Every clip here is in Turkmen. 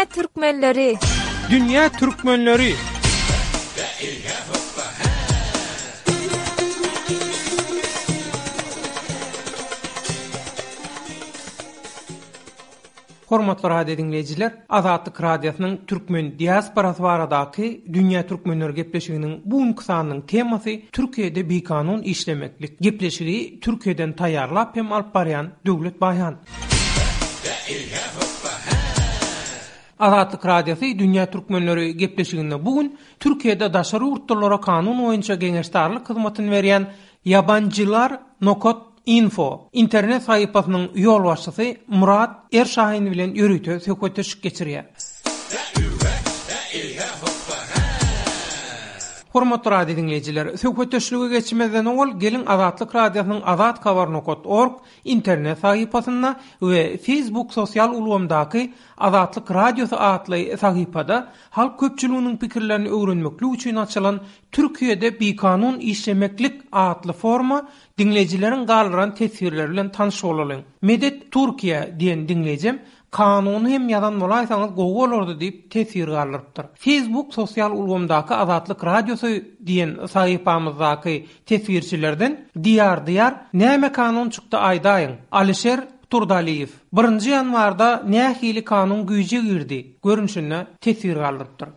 Dünýä türkmenleri! Dünýä türkmenleri! Hormatly radio diňleýjiler, Azatlyk Radiosynyň türkmen diasporasy baradaky Dünýä türkmenleri gepleşiginiň bu günki sanynyň temasy Türkiýede bikanun işlemeklik. Gepleşigi Türkiýeden taýýarlap hem alyp barýan Döwlet Baýhan. Azatlyk Radiosy Dünýä türkmenleri gepleşiginde bu gün Türkiýede daşary ýurtlulara kanun boýunça geňeşdarlyk hyzmatyny berýän Ýabanjylar nokat info internet sahypasynyň ýolbaşçysy Murat Erşahin bilen ýörite söhbetdeşlik geçirýär. Hormatly radio diňleýjiler, söhbetdeşlige geçmezden owal geliň Azatlyk Radiosynyň azathabar nokat org internet sahypasynda we Facebook sosial ulgamdaky Azatlyk Radiosy atly sahypada halk köpçüliginiň pikirlerini öwrenmeklik üçin açylan Türkiýede bikanun işlemeklik atly foruma diňleýjileriň galdyran teswirleri bilen tanyş bolalyň. Medet Türkiýe diýen diňleýjem Kanuny hem ýazan bolaýsaňyz gowy bolardy diýip teswir galdyrypdyr. Facebook sosial ulgamdaky Azatlyk Radiosy diýen sahypamyzdaky teswirçilerden Diýar Diýar näme kanun çykdy aýdaýyň? Alişer Turdaliýew, Birinji ýanwarda nähili kanun güýje girdi? görnüşinde teswir galdyrypdyr.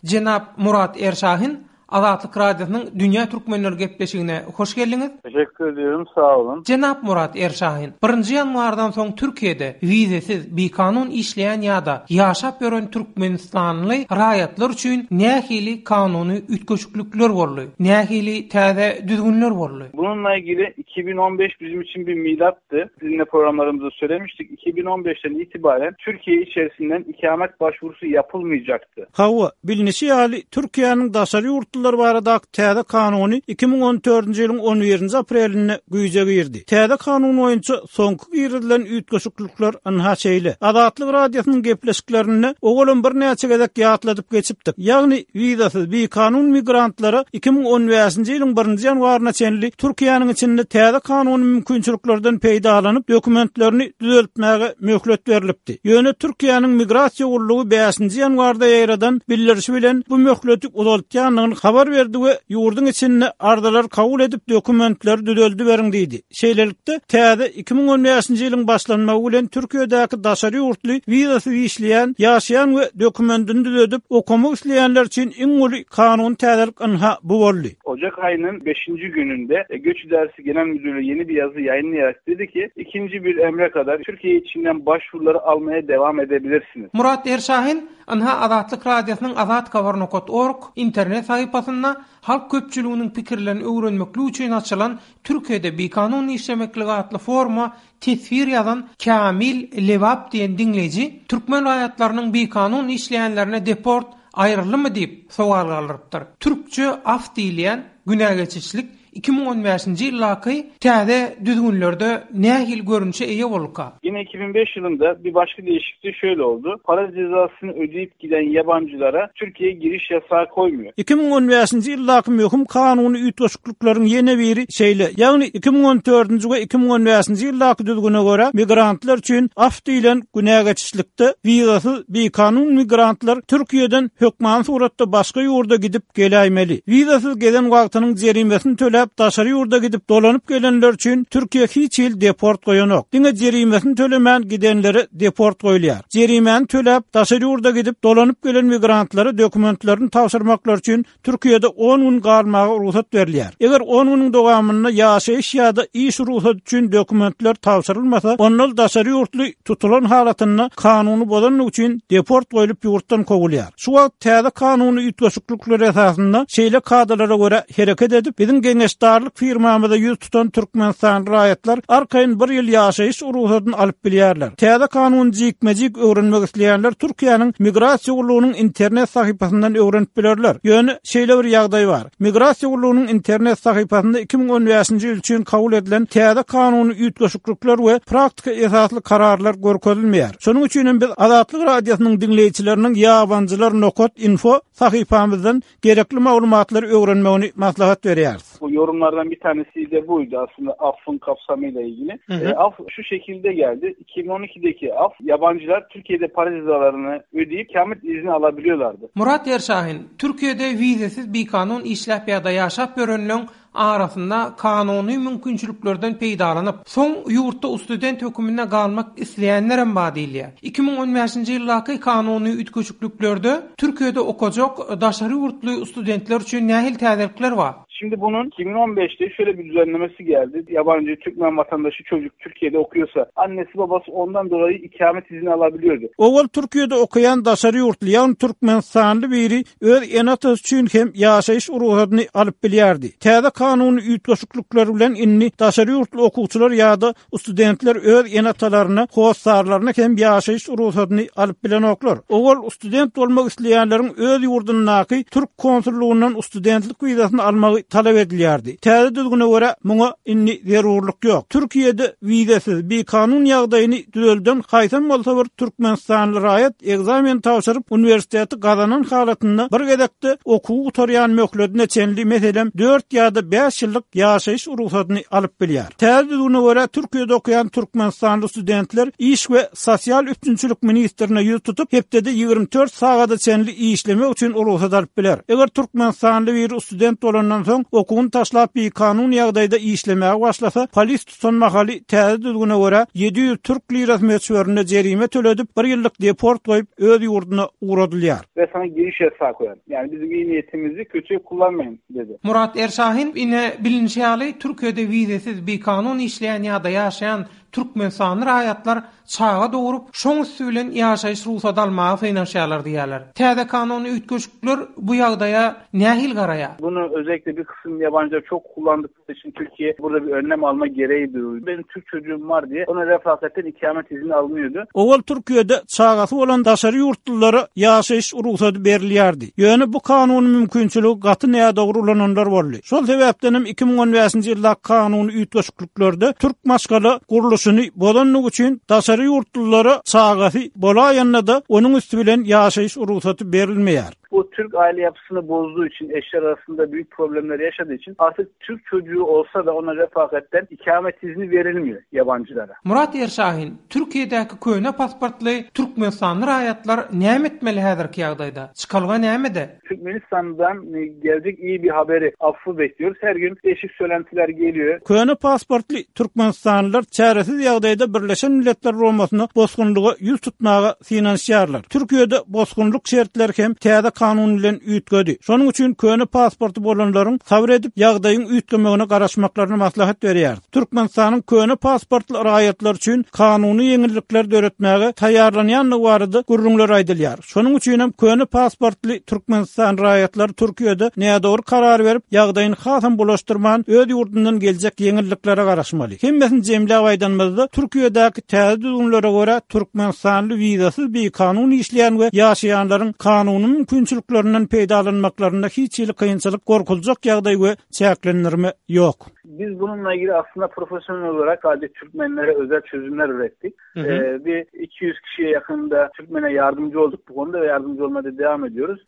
Jenap Murat Erşahin, Azatlyk Radiosynyň Dünýä Türkmenleri gepleşigine hoş geldiňiz. Teşekkür ediyorum, sag boluň. Jenap Murat Erşahin, birinji ýanwardan soň Türkiýede wizesiz, bikanun işleýän ýa-da ýaşap ýören türkmenistanly raýatlar üçin nähili kanuny üýtgeşiklikler boldy? Nähili täze düzgünler boldy? Bununla ilgili 2015 bizim için bir milattı. Sizinle programlarımızda söylemiştik. 2015'ten itibaren Türkiye içerisinden ikamet başvurusu yapılmayacaktı. Hawa, bilnişi ýaly, Türkiýäniň daşary ýurtlular baradaky täze kanuny 2014-nji ýylyň on birinji aprelinde güýje girdi. Täze kanun boýunça soňky girizilen üýtgeşiklikler ynha şeýle. Azatlyk Radiosynyň gepleşiklerinde owalam birnäçe gezek ýatladyp geçipdik. Ýagny, wizasyz bikanun migrantlara 2015-nji ýylyň birinji ýanwaryna çenli Türkiýäniň içinde täze kanuny mümkinçiliklerden peýdalanyp, dokumentlerini düzeltmäge möhlet berlipdi. Ýöne Türkiýäniň Migrasiýa gullugy bäşinji ýanwarda ýaýradan bildirişi bilen bu möhleti uzaltýandygyny habar berdi we ýurduň içinde arzalary kabul edip dokumentleri düzeldiberiň diýdi. Şeýlelikde, täze 2015-nji ýylyň başlanmagy bilen Türkiýedäki daşary ýurtly wizasyz işleýän, ýaşaýan we dokumendini düzedip, okamak isleýänler üçin iň uly kanuny täzelik ynha bu boldy. Ocak aýynyň beşinji gününde Göç İdaresi Genel Müdürlüğü yeni bir yazı yayınlayarak dedi ki, ikinci bir emre kadar Türkiye içinden başvuruları almaya devam edebilirsiniz. Murat Erşahin, Ynha Azatlyk Radiosynyň azathabar nokat org internet sahypasynda halk köpçüliginiň pikirlerini öwrenmeklik üçin açylan Türkiýede bikanun işlemeklik atly foruma teswir ýazan Kamil Lebap diýen diňleýji türkmen raýatlarynyň bikanun işleýänlerine deport aýryldymy diýip sowal galdyrypdyr. Türkçe af diýilýän günä geçişlik 2015-nji ýyldaky täze düzgünlerde nähili görnüşe eýe bolduka? Yine 2005 yılında bir başka değişiklik şöyle oldu. Para cezasını ödeyip giden yabancılara Türkiye'ye giriş yasağı koymuyor. 2015-nji ýyldaky möhüm kanuny üýtgeşiklikleriň ýene biri şeýle, ýagny 2014-nji we 2015-nji ýyldaky düzgüne görä, migrantlar üçin af diýlen günä geçişlikde wizasyz bikanun migrantlar Türkiýeden hökmany suratda başga ýurda gidip geläýmeli. Wizasyz gezen wagtynyň jerimesini töläp daşary ýurda gidip dolanyp gelenler üçin Türkiýe hiç hili deport goýanok. Diňe jerimesini tölemän gidenlere deport goýulýar. Jerimäni töläp daşary ýurda gidip dolanyp gelen migrantlara dokumentlerini tabşyrmaklary üçin Türkiýede on gün galmaga rugsat berilýär. Eger on günüň dowamynda ýaşaýyş ýa-da iş rugsady üçin dokumentler tabşyrylmasa, onda daşary ýurtly tutulan halatynda kanuny bozandygy üçin deport goýlup ýurtdan kowulýar. Şu wagt täze kanuny üýtgeşiklikler esasynda şeýle kadalara görä hereket edip, biziň geňeşdarlyk firmamyza ýüz tutan türkmenistanly raýatlar arkaýyn bir ýyl ýaşaýyş rugsadyny alyp bilýärler. Täze kanuny jikme-jik öwrenmek isleýänler Türkiýäniň Migrasiýa gullugynyň internet sahypasyndan öwrenip bilerler. Ýöne şeýle bir ýagdaý bar. Migrasiýa gullugynyň internet sahypasynda 2015-nji ýyl üçin kabul edilen täze kanuny üýtgeşiklikler we praktika esasly kararlar görkezilmeýär. Şonuň üçin hem biz Azatlyk Radiosynyň diňleýjileriniň ýabanjylar nokat info sahypamyzdan gerekli maglumatlary öwrenmegini maslahat berýäris. Yorumlardan bir tanesi de buydu aslında affın kapsamıyla ilgili. Hı hı. E, af şu şekilde geldi. 2012'deki af yabancılar Türkiye'de para cezalarını ödeyip ikamet izni alabiliyorlardı. Murat Erşahin, Türkiye'de vizesiz bikanun işläp ýa-da ýaşap ýörenleň arasynda kanuny mümkinçiliklerden peýdalanyp, soň ýurtda student höküminde galmak isleýänlerem bar diýilýär. 2015-nji ýyldaky kanuny üýtgeşikliklerde Türkiýede okajak daşary ýurtly studentler üçin nähili täzelikler bar? Şimdi bunun 2015'te şöyle bir düzenlemesi geldi. Yabancı Türkmen vatandaşı çocuk Türkiye'de okuyorsa annesi babası ondan dolayı ikamet izni alabiliyordu. Owal Türkiýede okaýan daşary ýurtly, ýagny türkmenistanly biri öz ene-atasy üçin hem ýaşaýyş rugsadyny alyp bilýärdi. Täze kanuny üýtgeşiklikler bilen indi daşary ýurtly okuwçylar ýa-da studentler öz ene-atalaryna, hossarlaryna hem ýaşaýyş rugsadyny alyp bilenoklar. Owal student bolmak isleýänleriň öz ýurdundaky türk konsullygyndan studentlik wizasyny almagy talap edilýärdi. Täze düzgüne görä, muňa indi zerurlyk ýok. Türkiýede wizasyz, bikanun ýagdaýyny düzelden haýsam bolsa bir türkmenistanly raýat ekzamen tabşyryp, uniwersiteti gazanan halatynda bir gezekde okuwy gutarýan möhledine çenli, meselem, dört ýa-da bäş ýyllyk ýaşaýyş rugsadyny alyp bilýär. Täze düzgüne görä, Türkiýede okaýan türkmenistanly studentler iş we sosial üpjünçilik ministrine ýüz tutup, hepdede 24 sagada çenli işlemek üçin rugsat alyp biler. Eger türkmenistanly biri student bolandan soň, okuwyny taşlap bikanun ýagdaýda işlemäge başlasa, polis tutan mahaly täze düzgüne görä, 700 türk lirasy möçberinde jerime töledip, bir ýyllyk deport goýup, öz ýurduna ugradylýar. Ve sana giriş yasağı koyar. Yani bizim iyi niyetimizi kötüye kullanmayın dedi. Murat Erşahin, Ine, bilinişi ýaly, Türkiýede wizesiz bikanun işleýän ýa-da ýaşaýan Türkmenistanly raýatlar çaga dogrup, şoň üsti bilen ýaşaýyş rugsady almaga synanyşýarlar diýýärler. Täze kanuny üýtgeşikler bu ýagdaýa nähili garaýar? Bunu özellikle bir kısım yabancılar çok kullandıkları için Türkiye burada bir önlem alma gereği duydu. Benim Türk çocuğum var diye ona refakatten ikamet izni alınıyordu. Owal Türkiýede çagasy bolan daşary ýurtlulara ýaşaýyş rugsady berilýärdi. Ýöne bu kanuny mümkinçiligi gaty nädogry ulananlar boldy. Şol sebäpden hem 2015-nji ýyldaky kanuny üýtgeşikliklerde türk maşgala gurluşyny bozandygy üçin daşary ýurtlulara çagasy bolaýanda-da onuň üsti bilen ýaşaýyş rugsaty berilmeýär. Bu Türk aile yapısını bozduğu için eşler arasında büyük problemler yaşadığı için artık Türk çocuğu olsa da ona refakatten ikamet izni verilmiyor yabancılara. Murat Erşahin, Türkiýedäki köne pasportly türkmenistanly raýatlar näme etmeli häzirki ýagdaýda? Çykalga nämede? Türkmenistandan geljek iyi bir haberi, affı bekliyoruz. Her gün değişik söylentiler geliyor. Köne pasportly türkmenistanlylar çäresiz ýagdaýda Birleşen Milletler Guramasyna bosgunlyga ýüz tutmaga synanyşýarlar. Türkiýede bosgunlyk şertleri hem täze kanun bilen üýtgedi. Şonuň üçin köne pasporty bolanlaryň sabyr edip, ýagdaýyň üýtgemegine garaşmaklaryny maslahat berýäris. Türkmenistanyň köne pasportly raýatlar üçin kanuny ýeňillikler döretmäge taýýarlanýandygy barada gürrüňler aýdylýar. Şonuň üçin hem köne pasportly Türkmenistan raýatlary Türkiýede nädogry karar berip, ýagdaýyny hasam bulaşdyrman, öz ýurdundan geljek ýeňilliklere garaşmaly. Hemmesini jemläp aýdanymyzda, Türkiýedäki täze düzgünlere görä, türkmenistanly wizasyz bikanun işleýän we ýaşaýanlaryň kanuny mümkinçiliklerinden peýdalanmaklarynda hiç hili kynçylyk, gorkuljak ýagdaý we çäklendirme ýok. Biz bununla ilgili aslında profesyonel olarak sadece Türkmenlere özel çözümler ürettik. Hı hı. Ee, bir 200 kişiye yakında Türkmen'e yardımcı olduk bu konuda ve yardımcı olmaya da devam ediyoruz.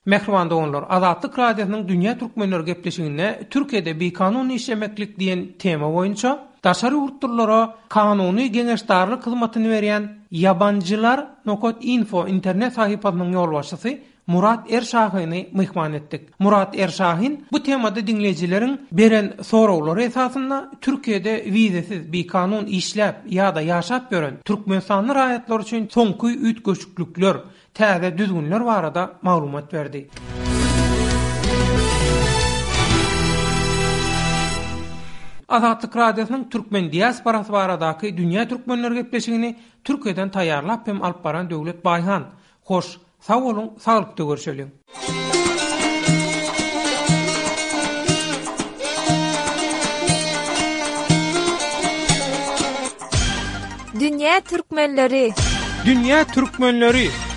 Mähriban doganlar, Azatlyk Radiosynyň Dünýä Türkmenleri gepleşiginde Türkiýede bikanun işlemeklik diýen tema boýunça daşary ýurtlulara kanuny geňeşdarlyk hyzmatyny berýän Ýabanjylar nokat info internet sahypasynyň ýolbaşçysy Murat Erşahyny myhman etdik. Murat Erşahin bu temada diňleýjileriň beren soraglary esasynda Türkiýede wizesiz bikanun işläp ýa-da ýaşap ýören türkmenistanly raýatlar üçin soňky üýtgeşiklikler, täze düzgünler barada maglumat berdi. Azatlyk Radiosynyň türkmen diasporasy baradaky Dünýä türkmenleri gepleşigini Türkiýeden taýýarlap hem alyp baran Döwlet Baýhan. Hoş, sag boluň, saglykda görşeliň! Dünýä türkmenleri! Dünýä türkmenleri!